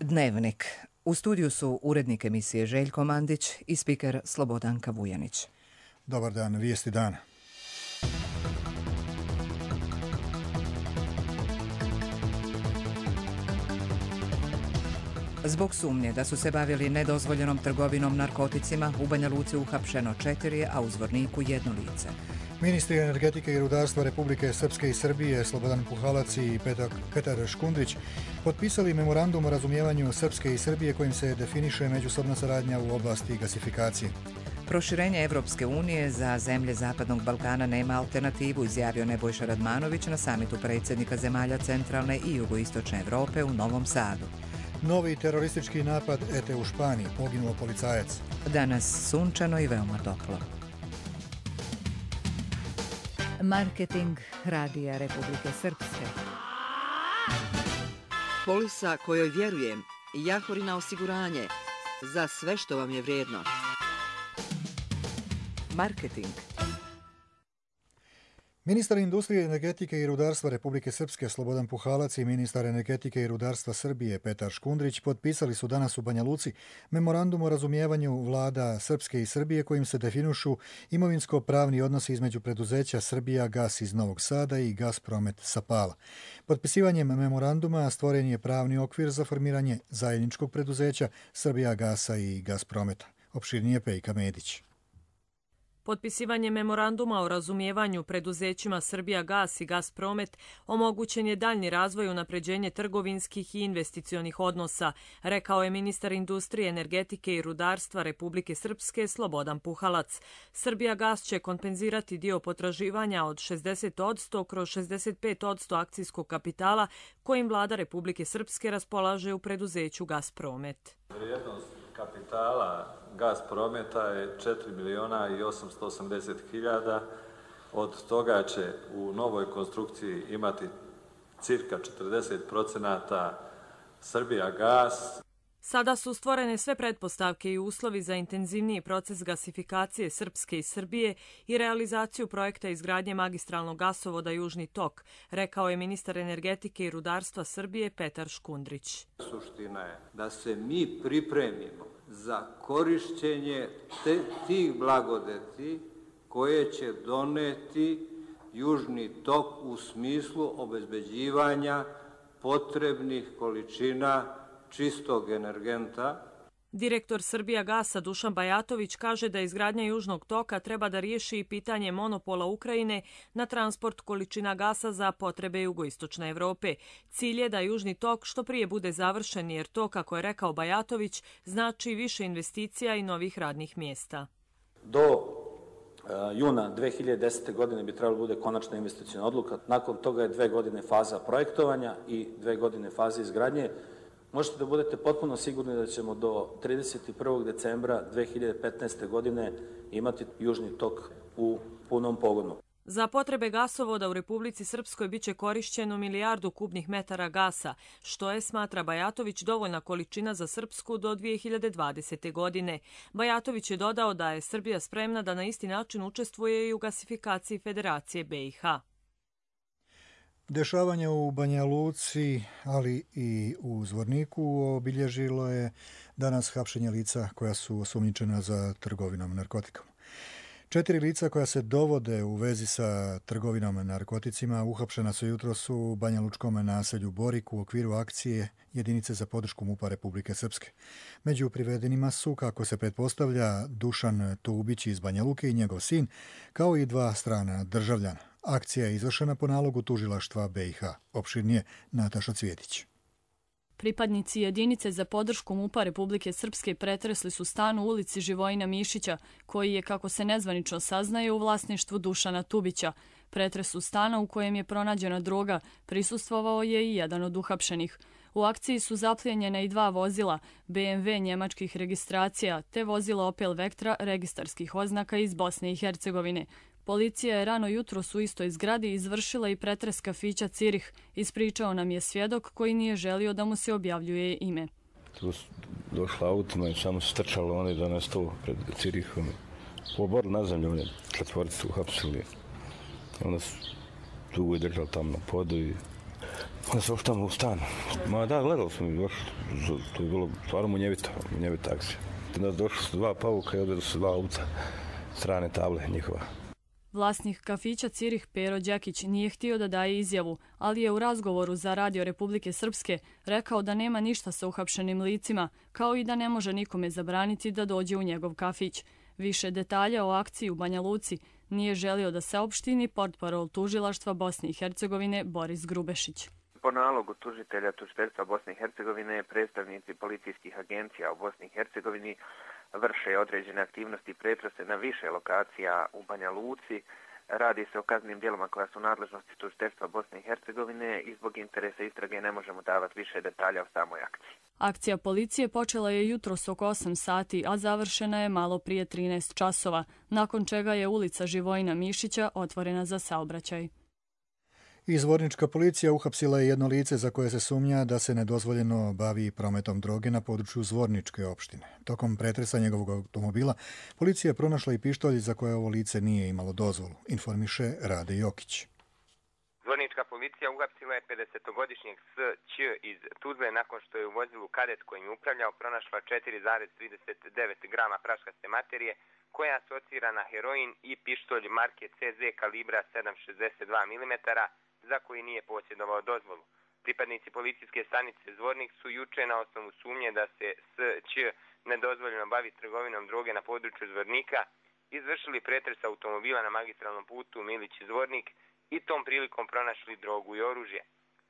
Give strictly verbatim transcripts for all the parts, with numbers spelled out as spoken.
Dnevnik. U studiju su urednik emisije Željko Mandić i spiker Slobodanka Vujanić. Dobar dan, vijesti dana. Zbog sumnje da su se bavili nedozvoljenom trgovinom narkoticima, u Banja Luci uhapšeno četiri, a u Zvorniku jedno lice. Ministri energetike i rudarstva Republike Srpske i Srbije Slobodan Puhalac i Petar Škundrić potpisali memorandum o razumijevanju Srpske i Srbije kojim se definiše međusobna saradnja u oblasti gasifikacije. Proširenje Evropske unije za zemlje Zapadnog Balkana nema alternativu, izjavio Nebojša Radmanović na samitu predsjednika zemalja centralne i jugoistočne Evrope u Novom Sadu. Novi teroristički napad ete u Španiji, poginuo policajac. Danas sunčano i veoma toplo. Marketing Radija Republike Srpske. Polisa kojoj vjerujem, Jahorina osiguranje, za sve što vam je vrijedno. Marketing. Ministar industrije, energetike i rudarstva Republike Srpske Slobodan Puhalac i ministar energetike i rudarstva Srbije Petar Škundrić potpisali su danas u Banja Luci memorandum o razumijevanju vlada Srpske i Srbije kojim se definišu imovinsko-pravni odnosi između preduzeća Srbija Gas iz Novog Sada i Gaspromet sa Pala. Potpisivanjem memoranduma stvoren je pravni okvir za formiranje zajedničkog preduzeća Srbija Gasa i Gasprometa. Opširnije Pejka Medić. Potpisivanje memoranduma o razumijevanju preduzećima Srbija Gas i Gaspromet omogućen je daljni razvoj i unapređenje trgovinskih i investicionih odnosa, rekao je ministar industrije, energetike i rudarstva Republike Srpske Slobodan Puhalac. Srbija Gas će kompenzirati dio potraživanja od šezdeset posto kroz šezdeset pet posto akcijskog kapitala kojim vlada Republike Srpske raspolaže u preduzeću Gaspromet. Vrijednost kapitala Gasprometa je četiri miliona i osamsto osamdeset hiljada. Od toga će u novoj konstrukciji imati cirka četrdeset procenata Srbija Gas. Sada su stvorene sve pretpostavke i uslovi za intenzivniji proces gasifikacije Srpske i Srbije i realizaciju projekta izgradnje magistralnog gasovoda Južni tok, rekao je ministar energetike i rudarstva Srbije Petar Škundrić. Suština je da se mi pripremimo za korišćenje te, tih blagodeti koje će doneti Južni tok u smislu obezbeđivanja potrebnih količina čistog energenta. Direktor Srbija Gasa Dušan Bajatović kaže da izgradnja Južnog toka treba da riješi i pitanje monopola Ukrajine na transport količina gasa za potrebe jugoistočne Evrope. Cilj je da Južni tok što prije bude završen jer to, kako je rekao Bajatović, znači više investicija i novih radnih mjesta. Do juna dve hiljade desete. godine bi trebalo bude konačna investicijna odluka. Nakon toga je dve godine faza projektovanja i dve godine faze izgradnje. Možete da budete potpuno sigurni da ćemo do trideset prvog decembra dve hiljade petnaeste. godine imati Južni tok u punom pogonu. Za potrebe gasovoda u Republici Srpskoj biće korišćeno milijardu kubnih metara gasa, što je, smatra Bajatović, dovoljna količina za Srpsku do dve hiljade dvadesete. godine. Bajatović je dodao da je Srbija spremna da na isti način učestvuje i u gasifikaciji Federacije be i ha. Dešavanje u Banja Luci, ali i u Zvorniku obilježilo je danas hapšenje lica koja su osumnjičena za trgovinom narkotikom. Četiri lica koja se dovode u vezi sa trgovinom narkoticima uhapšena su jutros u Banja Lučkom naselju Borik u okviru akcije Jedinice za podršku MUP-a Republike Srpske. Među privedenima su, kako se pretpostavlja, Dušan Tubić iz Banja Luke i njegov sin, kao i dva strana državljana. Akcija je izvršena po nalogu tužilaštva be i ha. Opširnije Nataša Cvjetić. Pripadnici jedinice za podršku MUP-a Republike Srpske pretresli su stan u ulici Živojina Mišića, koji je, kako se nezvanično saznaje, u vlasništvu Dušana Tubića. Pretresu stana u kojem je pronađena droga prisustvovao je i jedan od uhapšenih. U akciji su zaplijenjena i dva vozila, be em ve njemačkih registracija, te vozilo Opel Vectra registarskih oznaka iz Bosne i Hercegovine. Policija je rano jutros u istoj zgradi izvršila i pretres kafića Cirih, ispričao nam je svjedok koji nije želio da mu se objavljuje ime. Tu su došla autima i samo su trčalo oni do nas tu pred Cirihom. Poborili na zemlju, oni četvoricu uhapsili. Onda su dugo i držali tamo na podu i Onda se oš tamo u stan. Ma da, gledali smo mi došli. To je bilo stvarno munjevito, munjevita akcija. Onda došli su dva pavuka i odvedu su dva auta strane table njihova. Vlasnik kafića Cirih Pero Đekić nije htio da daje izjavu, ali je u razgovoru za Radio Republike Srpske rekao da nema ništa sa uhapšenim licima, kao i da ne može nikome zabraniti da dođe u njegov kafić. Više detalja o akciji u Banja Luci nije želio da saopšti ni portparol tužilaštva Bosne i Hercegovine Boris Grubešić. Po nalogu tužitelja tužiteljstva Bosne i Hercegovine, predstavnici policijskih agencija u Bosni i Hercegovini vrše određene aktivnosti i pretrese na više lokacija u Banja Luci. Radi se o kaznenim djelima koja su nadležnosti tužiteljstva Bosne i Hercegovine i zbog interesa istrage ne možemo davati više detalja o samoj akciji. Akcija policije počela je jutros oko osam sati, a završena je malo prije trinaest časova, nakon čega je ulica Živojina Mišića otvorena za saobraćaj. Izvornička policija uhapsila je jedno lice za koje se sumnja da se nedozvoljeno bavi prometom droge na području Zvorničke opštine. Tokom pretresa njegovog automobila policija je pronašla i pištolj za koje ovo lice nije imalo dozvolu, informiše Rade Jokić. Zvornička policija uhapsila je pedesetogodišnjeg S Ć iz Tuzle nakon što je u vozilu kadet kojim je upravljao pronašla četiri zarez trideset devet grama praškaste materije koja asocira na heroin i pištolj marke C Z kalibra sedam zarez šezdeset dva milimetra za koji nije posjedovao dozvolu. Pripadnici policijske stanice Zvornik su juče na osnovu sumnje da se S Ć nedozvoljeno bavi trgovinom droge na području Zvornika izvršili pretres automobila na magistralnom putu Milić-Zvornik i tom prilikom pronašli drogu i oružje.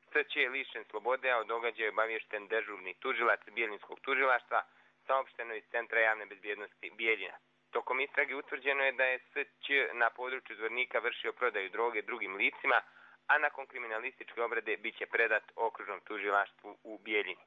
S Ć je lišen slobode, a o događaju je obaviješten dežurni tužilac Bijeljinskog tužilaštva, saopšteno iz Centra javne bezbjednosti Bijeljina. Tokom istrage utvrđeno je da je S Ć na području Zvornika vršio prodaju droge drugim licima, a nakon kriminalističke obrade bit će predat okružnom tužilaštvu u Bijeljini.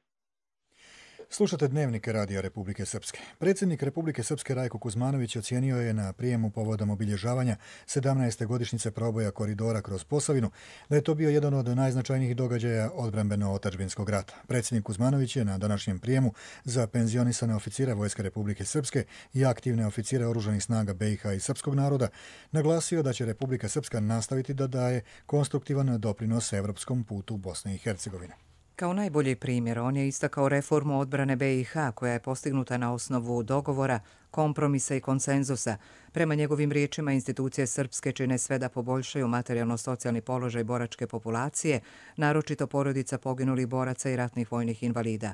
Slušate dnevnike Radija Republike Srpske. Predsjednik Republike Srpske Rajko Kuzmanović ocijenio je na prijemu povodom obilježavanja sedamnaeste godišnjice proboja koridora kroz Posavinu da je to bio jedan od najznačajnijih događaja odbrambeno-otadžbinskog rata. Predsjednik Kuzmanović je na današnjem prijemu za penzionisane oficire Vojske Republike Srpske i aktivne oficire oružanih snaga B i H i srpskog naroda naglasio da će Republika Srpska nastaviti da daje konstruktivan doprinos evropskom putu Bosne i Hercegovine. Kao najbolji primjer, on je istakao reformu odbrane B i H koja je postignuta na osnovu dogovora, kompromisa i konsenzusa. Prema njegovim riječima, institucije srpske čine sve da poboljšaju materijalno-socijalni položaj boračke populacije, naročito porodica poginulih boraca i ratnih vojnih invalida.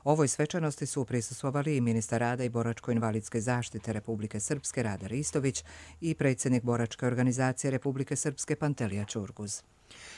Ovoj svečanosti su prisustvovali i ministar rada i boračko-invalidske zaštite Republike Srpske Rade Ristović i predsjednik boračke organizacije Republike Srpske Pantelija Čurguz.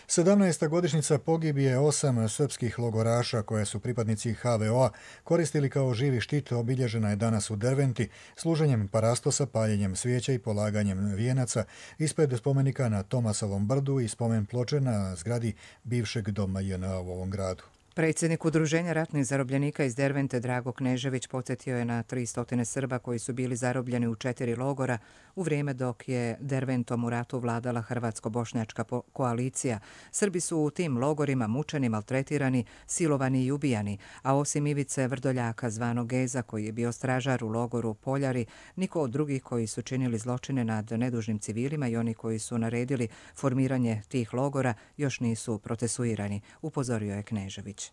sedamnaesta godišnjica pogibije osam srpskih logoraša koje su pripadnici H V O-a koristili kao živi štit obilježena je danas u Derventi služenjem parastosa, paljenjem svijeća i polaganjem vijenaca ispred spomenika na Tomasovom brdu i spomen ploče na zgradi bivšeg doma J N A u ovom gradu. Predsjednik Udruženja ratnih zarobljenika iz Dervente Drago Knežević podsjetio je na tristo Srba koji su bili zarobljeni u četiri logora u vrijeme dok je Derventom u ratu vladala hrvatsko-bošnjačka koalicija. Srbi su u tim logorima mučeni, maltretirani, silovani i ubijani, a osim Ivice Vrdoljaka zvanog Geza koji je bio stražar u logoru Poljari, niko od drugih koji su činili zločine nad nedužnim civilima i oni koji su naredili formiranje tih logora još nisu procesuirani, upozorio je Knežević.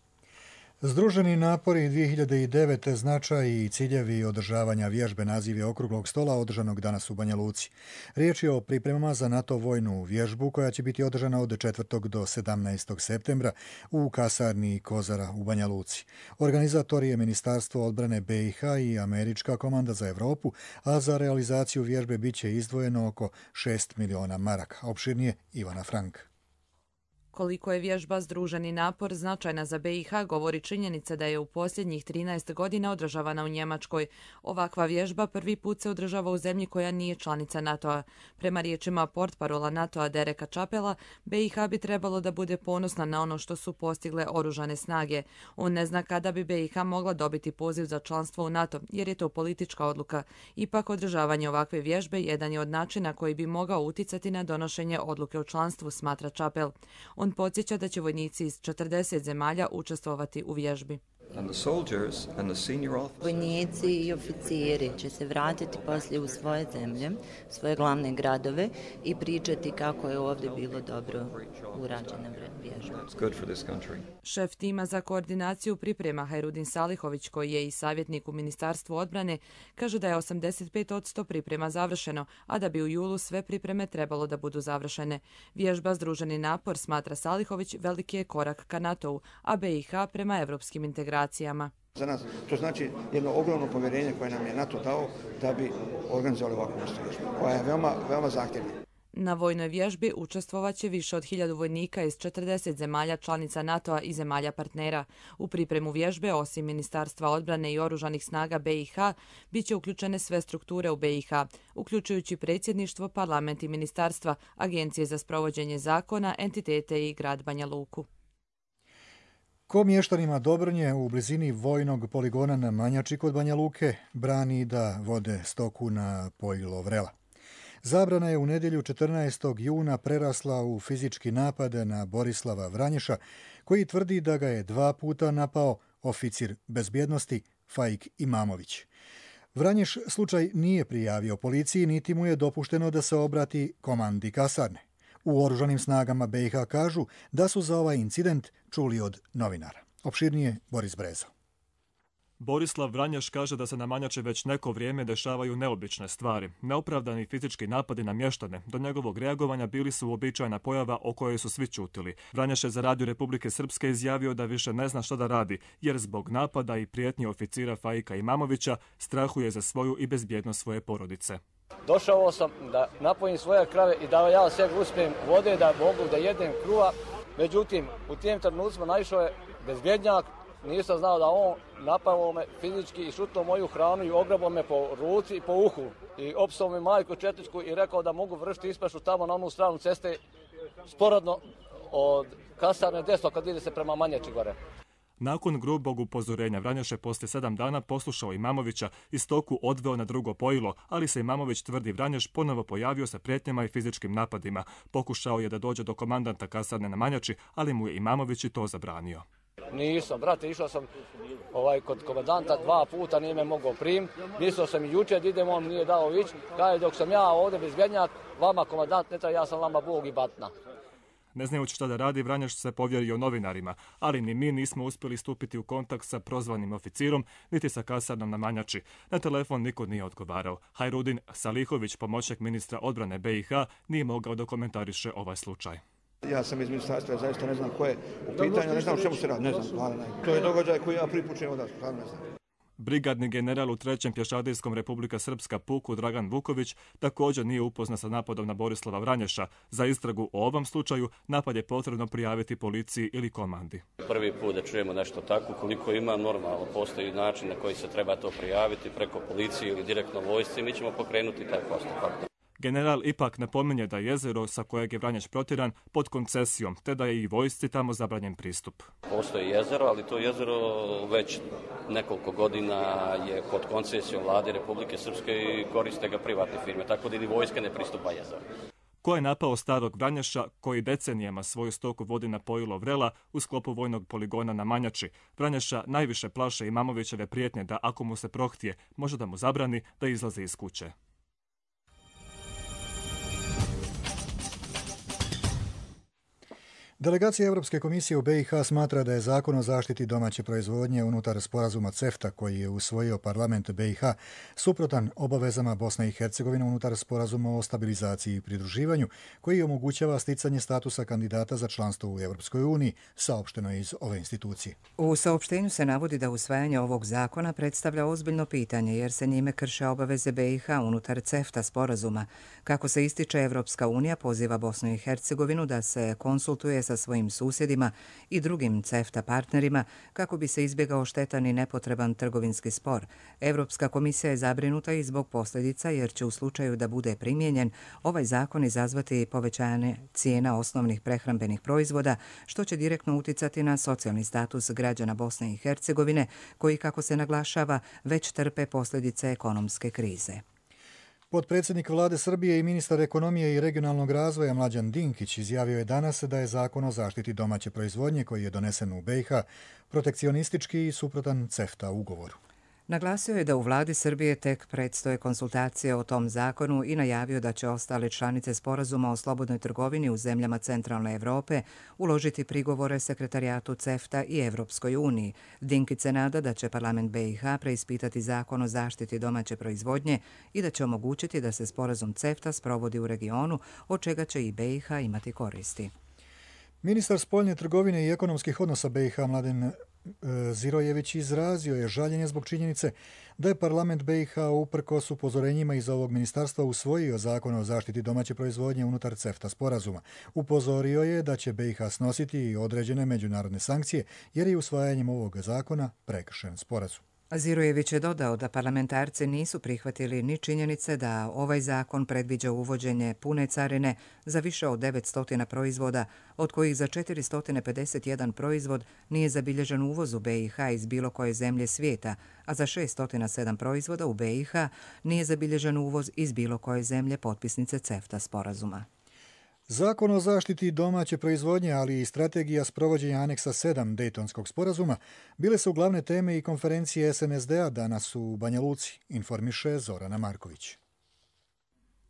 Združeni napori dvije hiljade devete značaj i ciljevi održavanja vježbe naziv je okruglog stola održanog danas u Banja Luci. Riječ je o pripremama za NATO vojnu vježbu koja će biti održana od četvrtog do sedamnaestog septembra u kasarni Kozara u Banja Luci. Organizator je Ministarstvo odbrane B i H i Američka komanda za Evropu, a za realizaciju vježbe bit će izdvojeno oko šest miliona maraka. Opširnije Ivana Frank. Koliko je vježba Združeni napor značajna za B i H govori činjenica da je u posljednjih trinaest godina održavana u Njemačkoj. Ovakva vježba prvi put se održava u zemlji koja nije članica NATO-a. Prema riječima portparola NATO-a Dereka Čapela, B i H bi trebalo da bude ponosna na ono što su postigle oružane snage. On ne zna kada bi B i H mogla dobiti poziv za članstvo u NATO, jer je to politička odluka. Ipak održavanje ovakve vježbe jedan je od načina koji bi mogao uticati na donošenje odluke o članstvu, smatra Čapel. On podsjeća da će vojnici iz četrdeset zemalja učestvovati u vježbi. Vojnici i oficiri će se vratiti poslije u svoje zemlje, svoje glavne gradove i pričati kako je ovdje bilo dobro urađena vježba. Šef tima za koordinaciju priprema Hajrudin Salihović, koji je i savjetnik u Ministarstvu odbrane, kaže da je osamdeset pet posto priprema završeno, a da bi u julu sve pripreme trebalo da budu završene. Vježba Združeni napor, smatra Salihović, veliki je korak ka NATO-u, a B i H prema evropskim integracijama. Za nas to znači jedno ogromno povjerenje koje nam je NATO dao da bi organizovali ovakvu vrstu vježbe, koja je veoma, veoma zahtjevna. Na vojnoj vježbi učestvovaće više od hiljadu vojnika iz četrdeset zemalja članica NATO-a i zemalja partnera. U pripremu vježbe, osim Ministarstva odbrane i oružanih snaga B i H, bit će uključene sve strukture u B i H, uključujući predsjedništvo, parlament i ministarstva, agencije za sprovođenje zakona, entitete i grad Banja Luku. Ko mještanima Dobrnje u blizini vojnog poligona na Manjači kod Banja Luke brani da vode stoku na pojilo vrela. Zabrana je u nedjelju četrnaestog juna prerasla u fizički napad na Borislava Vranješa, koji tvrdi da ga je dva puta napao oficir bezbjednosti Faik Imamović. Vranješ slučaj nije prijavio policiji, niti mu je dopušteno da se obrati komandi kasarne. U oružanim snagama B i H kažu da su za ovaj incident čuli od novinara. Opširnije Boris Brezo. Borislav Vranješ kaže da se na Manjači već neko vrijeme dešavaju neobične stvari. Neopravdani fizički napadi na mještane do njegovog reagovanja bili su uobičajena pojava o kojoj su svi ćutili. Vranješ je za Radio Republike Srpske izjavio da više ne zna što da radi, jer zbog napada i prijetnji oficira Faika Imamovića strahuje za svoju i bezbjednost svoje porodice. Došao sam da napojim svoje krave i da ja sebi uspijem vode da mogu da jedem kruha. Međutim, u tim trenucima naišao je bezbjednjak. Nisam znao da on napao me fizički i šutnuo moju hranu i ograbao me po ruci i po uhu. I opsao mi majku četničku i rekao da mogu vršiti ispašu tamo na onu stranu ceste sporadno od kasarne desno kad ide se prema Manjači gore. Nakon grubog upozorenja Vranješ je poslije sedam dana poslušao Imamovića i stoku odveo na drugo pojilo, ali se Imamović, tvrdi Vranješ, ponovo pojavio sa prijetnjama i fizičkim napadima. Pokušao je da dođe do komandanta kasarne na Manjači, ali mu je Imamović i to zabranio. Nisam, brate, išao sam ovaj, kod komandanta dva puta, nije me mogao prim. Mislio sam i jučer da idem, on nije dao ići. Kaže, dok sam ja ovdje bezbjednjak, vama komandant ne treba, ja sam vama Bog i batna. Ne znajući šta da radi, Vranješ se povjerio novinarima, ali ni mi nismo uspjeli stupiti u kontakt sa prozvanim oficirom, niti sa kasarnom na Manjači. Na telefon niko nije odgovarao. Hajrudin Salihović, pomoćnik ministra odbrane B i H, nije mogao da komentariše ovaj slučaj. Ja sam iz ministarstva, ja zaista ne znam ko je u pitanju, ne znam o čemu se radi, ne znam, hvala ne. To je događaj koji ja pripučujem od vas, hvala ne znam. Brigadni general u trećem pješadijskom Republika Srpska puku Dragan Vuković također nije upoznat sa napadom na Borislava Vranješa. Za istragu o ovom slučaju napad je potrebno prijaviti policiji ili komandi. Prvi put da čujemo nešto tako, koliko ima, normalno postoji način na koji se treba to prijaviti preko policije ili direktno vojsci, mi ćemo pokrenuti taj postupak. General ipak napominje da je jezero sa kojeg je Vranješ protjeran pod koncesijom, te da je i vojsci tamo zabranjen pristup. Postoji jezero, ali to jezero već nekoliko godina je pod koncesijom vlade Republike Srpske i koriste ga privatne firme, tako da i vojska ne pristupa jezeru. Ko je napao starog Vranješa, koji decenijama svoju stoku vodi na pojilo vrela u sklopu vojnog poligona na Manjači? Vranješa najviše plaše Imamovićeve prijetnje da ako mu se prohtije, može da mu zabrani da izlazi iz kuće. Delegacija Europske komisije u B i H smatra da je zakon o zaštiti domaće proizvodnje unutar sporazuma CEFTA koji je usvojio parlament B i H suprotan obavezama Bosne i Hercegovine unutar sporazuma o stabilizaciji i pridruživanju koji omogućava sticanje statusa kandidata za članstvo u Europskoj uniji, saopšteno iz ove institucije. U saopštenju se navodi da usvajanje ovog zakona predstavlja ozbiljno pitanje jer se njime krše obaveze B i H unutar CEFTA sporazuma. Kako se ističe, Evropska unija poziva Bosnu i Hercegovinu da se konsultuje sa svojim susjedima i drugim CEFTA partnerima kako bi se izbjegao štetan i nepotreban trgovinski spor. Europska komisija je zabrinuta i zbog posljedica jer će u slučaju da bude primijenjen ovaj zakon izazvati povećanje cijena osnovnih prehrambenih proizvoda, što će direktno uticati na socijalni status građana Bosne i Hercegovine koji, kako se naglašava, već trpe posljedice ekonomske krize. Potpredsjednik vlade Srbije i ministar ekonomije i regionalnog razvoja Mlađan Dinkić izjavio je danas da je Zakon o zaštiti domaće proizvodnje koji je donesen u B i H protekcionistički i suprotan CEFTA ugovoru. Naglasio je da u vladi Srbije tek predstoje konsultacije o tom zakonu i najavio da će ostale članice sporazuma o slobodnoj trgovini u zemljama centralne Evrope uložiti prigovore sekretarijatu CEFTA i Evropskoj uniji. Dinkić se nada da će parlament B i H preispitati zakon o zaštiti domaće proizvodnje i da će omogućiti da se sporazum CEFTA sprovodi u regionu, od čega će i B i H imati koristi. Ministar spoljne trgovine i ekonomskih odnosa B i H Mladen Zirojević izrazio je žaljenje zbog činjenice da je parlament B i H uprkos upozorenjima iz ovog ministarstva usvojio zakon o zaštiti domaće proizvodnje unutar CEFTA sporazuma. Upozorio je da će B i H snositi i određene međunarodne sankcije jer je usvajanjem ovog zakona prekršen sporazum. Zirojević je dodao da parlamentarci nisu prihvatili ni činjenice da ovaj zakon predviđa uvođenje pune carine za više od devetsto proizvoda, od kojih za četiristo pedeset jedan proizvod nije zabilježen uvoz u B i H iz bilo koje zemlje svijeta, a za šeststo sedam proizvoda u B i H nije zabilježen uvoz iz bilo koje zemlje potpisnice CEFTA sporazuma. Zakon o zaštiti domaće proizvodnje, ali i strategija sprovođenja aneksa sedam Dejtonskog sporazuma bile su glavne teme i konferencije S N S D-a danas u Banja Luci, informiše Zorana Marković.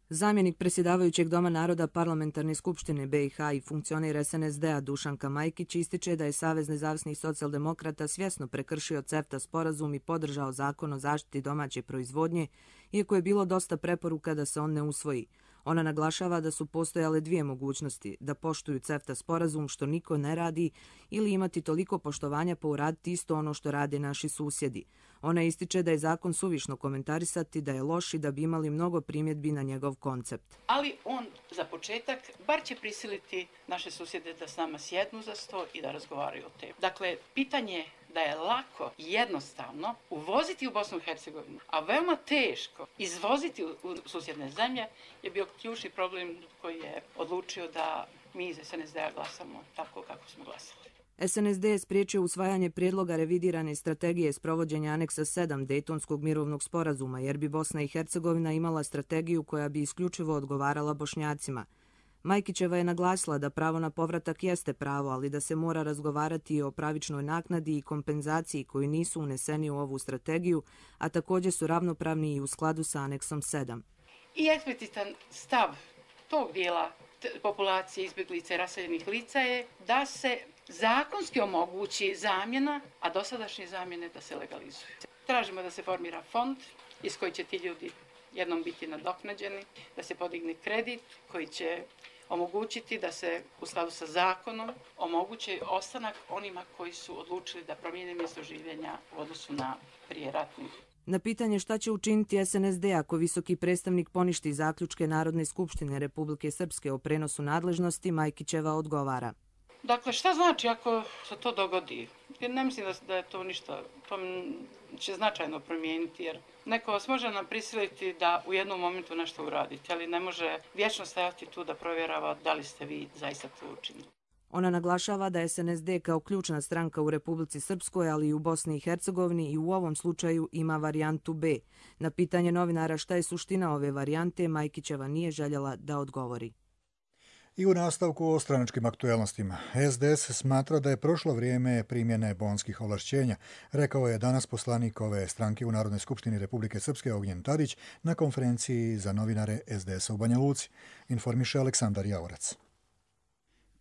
Zamjenik predsjedavajućeg Doma naroda Parlamentarne skupštine B i H i funkcioner S N S D-a Dušanka Majkić ističe da je Savez nezavisnih socijaldemokrata svjesno prekršio CEFTA sporazum i podržao zakon o zaštiti domaće proizvodnje, iako je bilo dosta preporuka da se on ne usvoji. Ona naglašava da su postojale dvije mogućnosti, da poštuju CEFTA sporazum što niko ne radi ili imati toliko poštovanja pa uraditi isto ono što rade naši susjedi. Ona ističe da je zakon suvišno komentarisati, da je loš i da bi imali mnogo primjedbi na njegov koncept. Ali on za početak bar će prisiliti naše susjede da s nama sjednu za sto i da razgovaraju o temi. Dakle, pitanje da je lako i jednostavno uvoziti u Bosnu i Hercegovinu, a veoma teško izvoziti u susjedne zemlje je bio ključni problem koji je odlučio da mi iz S N S D-a glasamo tako kako smo glasali. S N S D je spriječio usvajanje prijedloga revidirane strategije sprovođenja aneksa sedam Dejtonskog mirovnog sporazuma, jer bi Bosna i Hercegovina imala strategiju koja bi isključivo odgovarala Bošnjacima. Majkićeva je naglasila da pravo na povratak jeste pravo, ali da se mora razgovarati i o pravičnoj naknadi i kompenzaciji koji nisu uneseni u ovu strategiju, a također su ravnopravni i u skladu sa aneksom sedam. I eksplicitan stav tog dijela populacije izbjeglica i raseljenih lica je da se zakonski omogući zamjena, a dosadašnje zamjene da se legalizuju. Tražimo da se formira fond iz koji će ti ljudi jednom biti nadoknađeni, da se podigne kredit koji će omogućiti da se u skladu sa zakonom omogući ostanak onima koji su odlučili da promijene mjesto življenja u odnosu na prijeratnih. Na pitanje šta će učiniti S N S D ako visoki predstavnik poništi zaključke Narodne skupštine Republike Srpske o prenosu nadležnosti, Majkićeva odgovara. Dakle, šta znači ako se to dogodi? Ne mislim da, da je to ništa, to će značajno promijeniti, jer neko vas može nam prisiliti da u jednom momentu nešto uradite, ali ne može vječno stajati tu da provjerava da li ste vi zaista to učinili. Ona naglašava da S N S D kao ključna stranka u Republici Srpskoj, ali i u Bosni i Hercegovini i u ovom slučaju ima varijantu B. Na pitanje novinara šta je suština ove varijante, Majkićeva nije željela da odgovori. I u nastavku o stranačkim aktuelnostima. S D S smatra da je prošlo vrijeme primjene bonskih ovlašćenja, rekao je danas poslanik ove stranke u Narodnoj skupštini Republike Srpske Ognjen Tadić na konferenciji za novinare S D S-a u Banja Luci, informiše Aleksandar Javorac.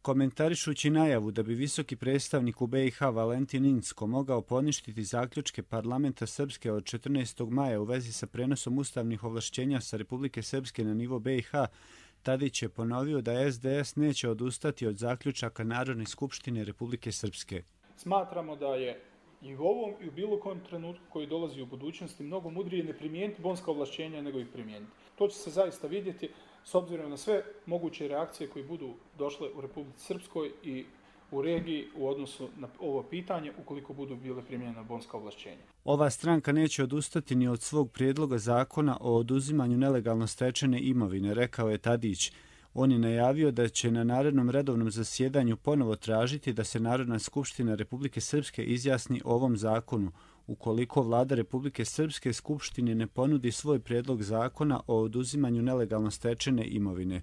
Komentarišući najavu da bi visoki predstavnik u B i H Valentin Incko mogao poništiti zaključke parlamenta Srpske od četrnaestog maja u vezi sa prenosom ustavnih ovlašćenja sa Republike Srpske na nivo B i H, Tadić je ponovio da S D S neće odustati od zaključaka Narodne skupštine Republike Srpske. Smatramo da je i u ovom i u bilo kojem trenutku koji dolazi u budućnosti mnogo mudrije ne primijeniti bonska ovlašćenja nego ih primijeniti. To će se zaista vidjeti s obzirom na sve moguće reakcije koje budu došle u Republici Srpskoj i u regiji u odnosu na ovo pitanje ukoliko budu bile primijenjena bonska ovlašćenja. Ova stranka neće odustati ni od svog prijedloga zakona o oduzimanju nelegalno stečene imovine, rekao je Tadić. On je najavio da će na narednom redovnom zasjedanju ponovo tražiti da se Narodna skupština Republike Srpske izjasni o ovom zakonu. ukoliko vlada Republike Srpske Skupštini ne ponudi svoj prijedlog zakona o oduzimanju nelegalno stečene imovine.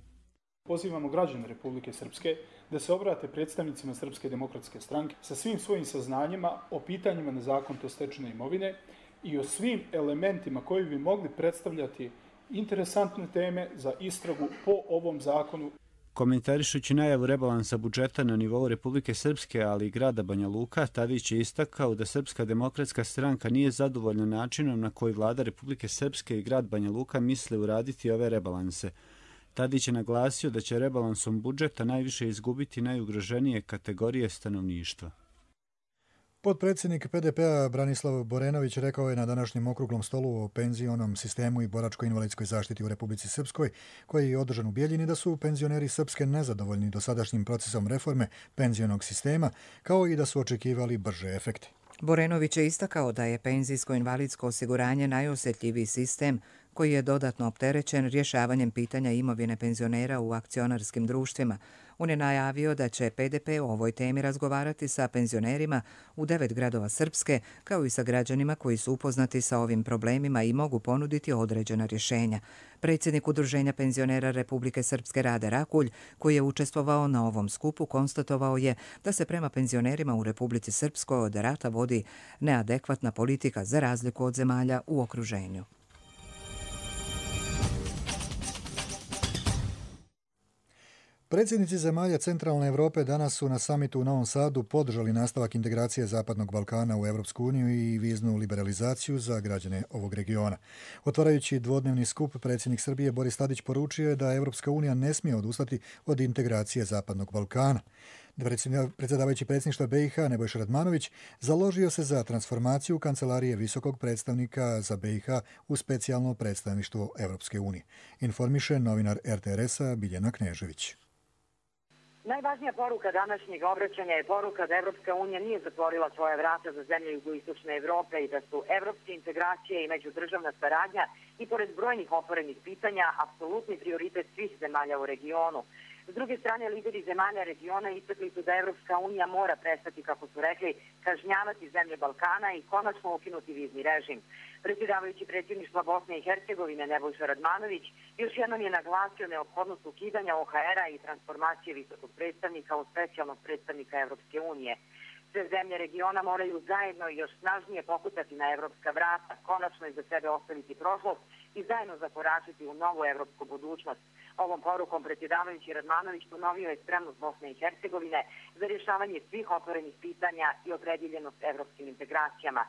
Pozivamo građane Republike Srpske da se obrate predstavnicima Srpske demokratske stranke sa svim svojim saznanjima o pitanjima nezakonito stečene imovine i o svim elementima koji bi mogli predstavljati interesantne teme za istragu po ovom zakonu. Komentarišući najavu rebalansa budžeta na nivou Republike Srpske, ali i grada Banja Luka, Tadić je istakao da Srpska demokratska stranka nije zadovoljna načinom na koji vlada Republike Srpske i grad Banja Luka misle uraditi ove rebalanse. Tadić je naglasio da će rebalansom budžeta najviše izgubiti najugroženije kategorije stanovništva. Potpredsjednik P D P-a Branislav Borenović rekao je na današnjem okruglom stolu o penzionom sistemu i boračko-invalidskoj zaštiti u Republici Srpskoj, koji je održan u Bijeljini, da su penzioneri Srpske nezadovoljni dosadašnjim procesom reforme penzionog sistema, kao i da su očekivali brže efekte. Borenović je istakao da je penzijsko-invalidsko osiguranje najosjetljiviji sistem koji je dodatno opterećen rješavanjem pitanja imovine penzionera u akcionarskim društvima. On je najavio da će P D P o ovoj temi razgovarati sa penzionerima u devet gradova Srpske, kao i sa građanima koji su upoznati sa ovim problemima i mogu ponuditi određena rješenja. Predsjednik Udruženja penzionera Republike Srpske Rade Rakulj, koji je učestvovao na ovom skupu, konstatovao je da se prema penzionerima u Republici Srpskoj od rata vodi neadekvatna politika za razliku od zemalja u okruženju. Predsjednici zemalja Centralne Evrope danas su na samitu u Novom Sadu podržali nastavak integracije Zapadnog Balkana u Evropsku uniju i viznu liberalizaciju za građane ovog regiona. Otvarajući dvodnevni skup, predsjednik Srbije Boris Tadić poručio je da Evropska unija ne smije odustati od integracije Zapadnog Balkana. Predsjedavajući predsjedništva B i H Nebojša Radmanović založio se za transformaciju Kancelarije visokog predstavnika za B i H u specijalno predstavništvo Evropske unije. Informiše novinar R T R S-a Biljana Knežević. Najvažnija poruka današnjeg obraćanja je poruka da Evropska unija nije zatvorila svoje vrata za zemlje jugoistočne Evrope i da su evropske integracije i međudržavna saradnja i pored brojnih otvorenih pitanja apsolutni prioritet svih zemalja u regionu. S druge strane, lideri zemalja regiona istakli su da Evropska unija mora prestati, kako su rekli, kažnjavati zemlje Balkana i konačno ukinuti vizni režim. Predsjedavajući predsjedništva Bosne i Hercegovine Nebojša Radmanović još jednom je naglasio neophodnost ukidanja O H R-a i transformacije visokog predstavnika u specijalnog predstavnika Evropske unije. Sve zemlje regiona moraju zajedno i još snažnije pokutati na evropska vrata, konačno iza sebe ostaviti prošlost i zajedno zakoračiti u novu evropsku budućnost. Ovom porukom predsjedavajući Radmanović ponovio je spremnost Bosne i Hercegovine za rješavanje svih otvorenih pitanja i opredjeljenost evropskim integracijama.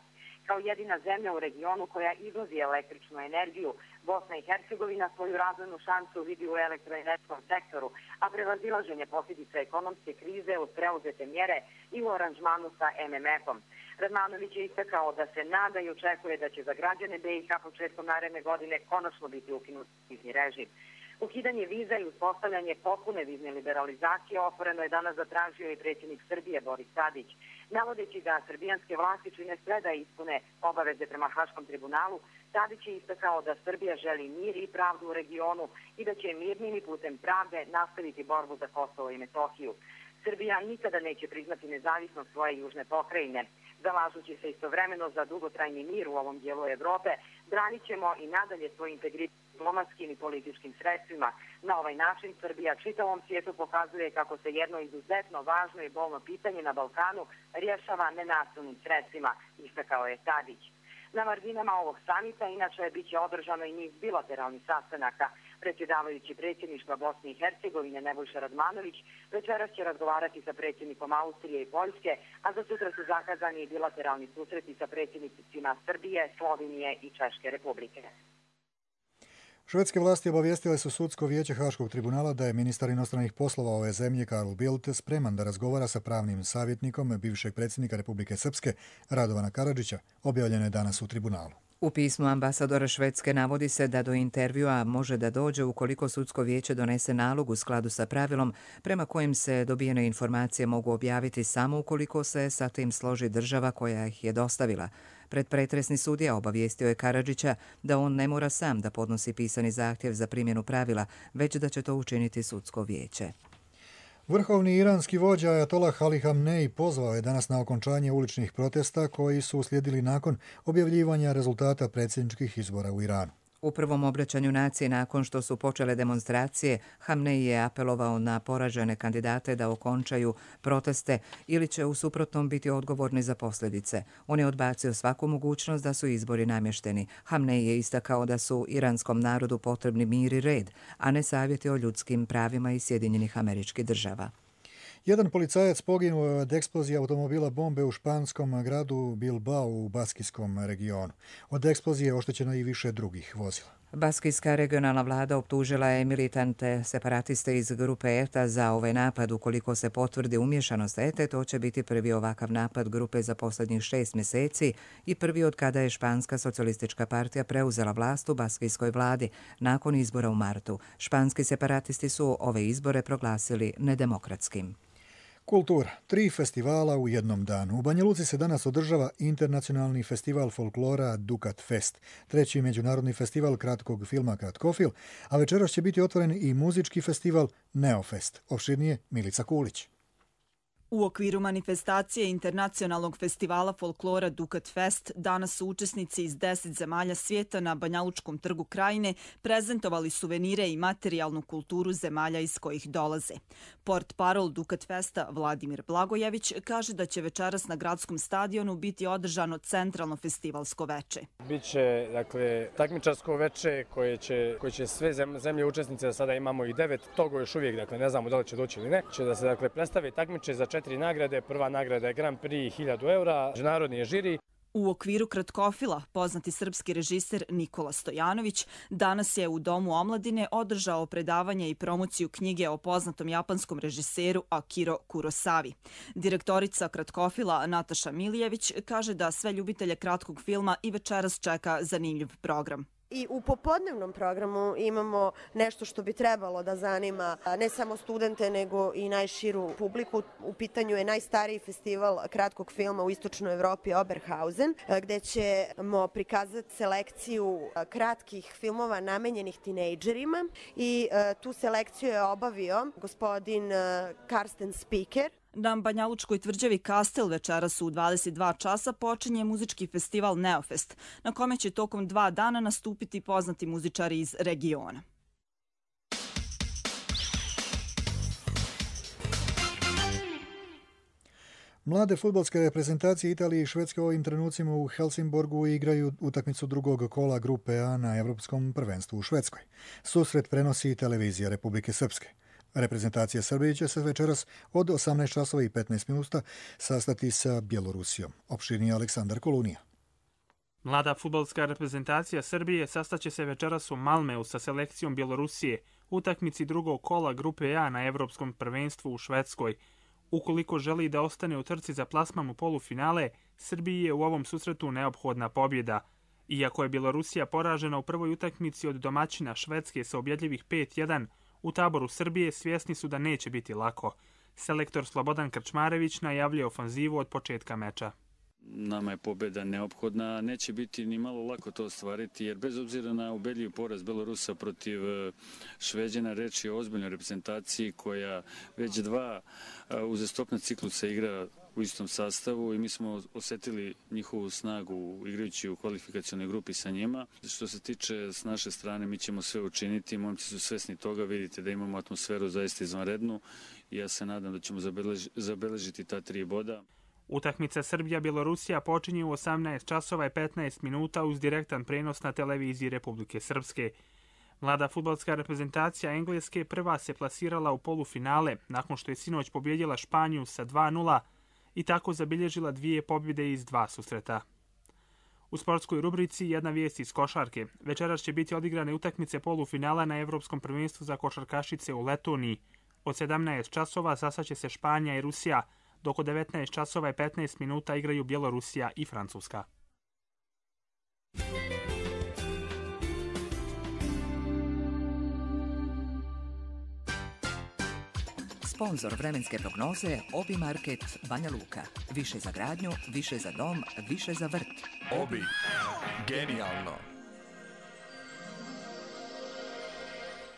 Kao jedina zemlja u regionu koja izvozi električnu energiju, Bosna i Hercegovina svoju razvojnu šansu vidi u elektroenergetskom sektoru, a prevazilaženje posljedica ekonomske krize uz preuzete mjere i u aranžmanu sa M M F-om. Radmanović je istakao da se nada i očekuje da će za građane B i H početkom naredne godine konačno biti ukinut vizni režim. Ukidanje viza i uspostavljanje potpune vizne liberalizacije otvoreno je danas zatražio i predsjednik Srbije Boris Tadić. Navodeći da srbijanske vlasti čine sve da ispune obaveze prema Haškom tribunalu, Tadić je istakao da Srbija želi mir i pravdu u regionu i da će mirnim i putem pravde nastaviti borbu za Kosovo i Metohiju. Srbija nikada neće priznati nezavisnost svoje južne pokrajine. Zalažući se istovremeno za dugotrajni mir u ovom dijelu Evrope, branit ćemo i nadalje svoj integritet diplomatskim i političkim sredstvima. Na ovaj način Srbija čitavom svijetu pokazuje kako se jedno izuzetno važno i bolno pitanje na Balkanu rješava nenasilnim sredstvima, istakao je Tadić. Na marginama ovog samita inače bit će održano i niz bilateralnih sastanaka. Predsjedavajući predsjedništva Bosne i Hercegovine Nebojša Radmanović večeras će razgovarati sa predsjednikom Austrije i Poljske, a za sutra su zakazani i bilateralni susreti sa predsjednicima Srbije, Slovenije i Češke republike. Švedske vlasti obavijestile su sudsko vijeće Haškog tribunala da je ministar inostranih poslova ove zemlje Karl Bildt spreman da razgovara sa pravnim savjetnikom bivšeg predsjednika Republike Srpske Radovana Karadžića, objavljeno je danas u tribunalu. U pismu ambasadora Švedske navodi se da do intervjua može da dođe ukoliko sudsko vijeće donese nalog u skladu sa pravilom prema kojim se dobijene informacije mogu objaviti samo ukoliko se sa tim složi država koja ih je dostavila. Predpretresni sudija obavijestio je Karadžića da on ne mora sam da podnosi pisani zahtjev za primjenu pravila, već da će to učiniti sudsko vijeće. Vrhovni iranski vođa Ajatolah Ali Hamnej pozvao je danas na okončanje uličnih protesta koji su uslijedili nakon objavljivanja rezultata predsjedničkih izbora u Iranu. U prvom obraćanju naciji nakon što su počele demonstracije, Hamnej je apelovao na poražene kandidate da okončaju proteste ili će u suprotnom biti odgovorni za posljedice. On je odbacio svaku mogućnost da su izbori namješteni. Hamnej je istakao da su iranskom narodu potrebni mir i red, a ne savjeti o ljudskim pravima iz Sjedinjenih Američkih Država. Jedan policajac poginuo od eksplozije automobila bombe u španskom gradu Bilbao u baskijskom regionu. Od eksplozije je oštećeno i više drugih vozila. Baskijska regionalna vlada optužila je militante separatiste iz grupe E T A za ovaj napad. Ukoliko se potvrdi umješanost E T A, to će biti prvi ovakav napad grupe za posljednjih šest mjeseci i prvi od kada je Španska socijalistička partija preuzela vlast u baskijskoj vladi nakon izbora u martu. Španski separatisti su ove izbore proglasili nedemokratskim. Kultura. Tri festivala u jednom danu. U Banja Luci se danas održava internacionalni festival folklora Dukat Fest, treći međunarodni festival kratkog filma Kratkofil, a večeras će biti otvoren i muzički festival Neofest. Opširnije Milica Kulić. U okviru manifestacije Internacionalnog festivala folklora Dukat Fest danas su učesnici iz deset zemalja svijeta na Banjalučkom trgu Krajine prezentovali suvenire i materijalnu kulturu zemalja iz kojih dolaze. Port parol Dukat Festa Vladimir Blagojević kaže da će večeras na gradskom stadionu biti održano centralno festivalsko veče. Biće, dakle, takmičarsko veče koje će, koje će sve zemlje učesnice, da sada imamo i devet, togo još uvijek, dakle, ne znamo da li će doći ili ne, će da se, dakle, predstave takmiče za četiri nagrade. Prva nagrada je Grand Prix hiljadu eura, međunarodni je žiri. U okviru Kratkofila, poznati srpski režiser Nikola Stojanović danas je u Domu omladine održao predavanje i promociju knjige o poznatom japanskom režiseru Akiro Kurosavi. Direktorica Kratkofila Nataša Milijević kaže da sve ljubitelje kratkog filma i večeras čeka zanimljiv program. I u popodnevnom programu imamo nešto što bi trebalo da zanima ne samo studente, nego i najširu publiku. U pitanju je najstariji festival kratkog filma u istočnoj Evropi, Oberhausen, gdje ćemo prikazati selekciju kratkih filmova namenjenih tinejdžerima i tu selekciju je obavio gospodin Karsten Spiker. Na Banjalučkoj tvrđavi Kastel večeras u dvadeset dva časa počinje muzički festival Neofest, na kome će tokom dva dana nastupiti poznati muzičari iz regiona. Mlade fudbalske reprezentacije Italije i Švedske u ovim trenucima u Helsingborgu igraju utakmicu drugog kola grupe A na Evropskom prvenstvu u Švedskoj. Susret prenosi televizija Republike Srpske. Reprezentacija Srbije će se večeras od osamnaest časova i petnaest minuta sastati sa Bjelorusijom. Opširnije Aleksandar Kolunija. Mlada fudbalska reprezentacija Srbije sastaće se večeras u Malmeu sa selekcijom Bjelorusije u utakmici drugog kola grupe A na Evropskom prvenstvu u Švedskoj. Ukoliko želi da ostane u trci za plasman u polufinale, Srbiji je u ovom susretu neophodna pobjeda. Iako je Bjelorusija poražena u prvoj utakmici od domaćina Švedske sa ubjedljivih pet jedan, u taboru Srbije svjesni su da neće biti lako. Selektor Slobodan Krčmarević najavljuje ofanzivu od početka meča. Nama je pobjeda neophodna, neće biti ni malo lako to ostvariti, jer bez obzira na ubedljiv poraz Belorusa protiv Šveđana, reč je o ozbiljnoj reprezentaciji koja već dva uzastopna ciklusa igra u istom sastavu i mi smo osjetili njihovu snagu igrajući u kvalifikacionoj grupi sa njima. Što se tiče s naše strane, mi ćemo sve učiniti, momci su svesni toga, vidite da imamo atmosferu zaista izvanrednu i ja se nadam da ćemo zabeležiti ta tri boda. Utakmica Srbija-Bjelorusija počinje u osamnaest časova i petnaest minuta uz direktan prenos na televiziji Republike Srpske. Mlada fudbalska reprezentacija Engleske prva se plasirala u polufinale nakon što je sinoć pobjedila Španiju sa dva nula i tako zabilježila dvije pobjede iz dva susreta. U sportskoj rubrici jedna vijest iz košarke. Večeras će biti odigrane utakmice polufinala na Evropskom prvenstvu za košarkašice u Letoniji. Od sedamnaest časova sastaće se Španija i Rusija, dok od devetnaest časova i petnaest minuta igraju Bjelorusija i Francuska. Sponzor vremenske prognoze Obi Market Banja Luka. Više za gradnju, više za dom, više za vrt. Obi. Genijalno.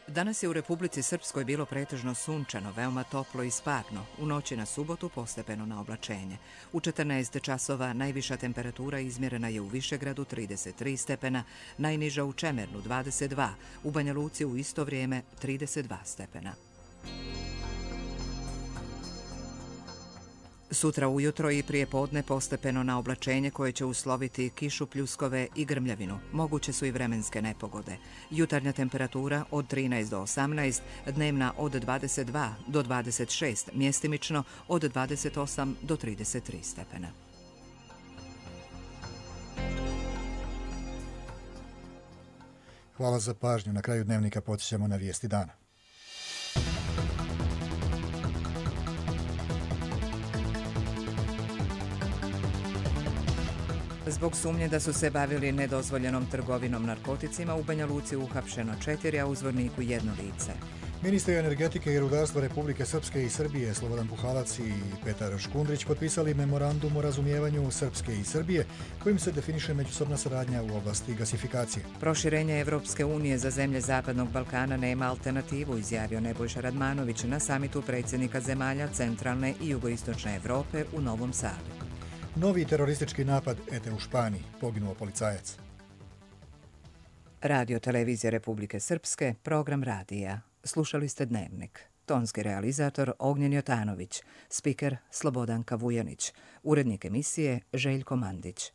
Danas je u Republici Srpskoj bilo pretežno sunčano, veoma toplo i sparno. U noći na subotu postepeno na oblačenje. U četrnaest časova najviša temperatura izmjerena je u Višegradu trideset tri stepena, najniža u Čemernu dvadeset dva, u Banja Luci u isto vrijeme trideset dva stepena. Sutra ujutro i prije podne postepeno na oblačenje koje će usloviti kišu, pljuskove i grmljavinu. Moguće su i vremenske nepogode. Jutarnja temperatura od trinaest do osamnaest, dnevna od dvadeset dva do dvadeset šest, mjestimično od dvadeset osam do trideset tri stepena. Hvala za pažnju. Na kraju dnevnika podsjećamo na vijesti dana. Zbog sumnje da su se bavili nedozvoljenom trgovinom narkoticima, u Banja Luci uhapšeno četiri, a u Zvorniku jedno lice. Ministri energetike i rudarstva Republike Srpske i Srbije Slobodan Puhalac i Petar Škundrić potpisali memorandum o razumijevanju Srpske i Srbije kojim se definiše međusobna saradnja u oblasti gasifikacije. Proširenje Evropske unije za zemlje Zapadnog Balkana nema alternativu, izjavio Nebojša Radmanović na samitu predsjednika zemalja centralne i jugoistočne Evrope u Novom Sadu. Novi teroristički napad ete u Španiji, poginuo policajac. Radio Televizija Republike Srpske, program radija. Slušali ste Dnevnik. Tonski realizator Ognjen Jotanović, spiker Slobodanka Vujanić, urednik emisije Željko Mandić.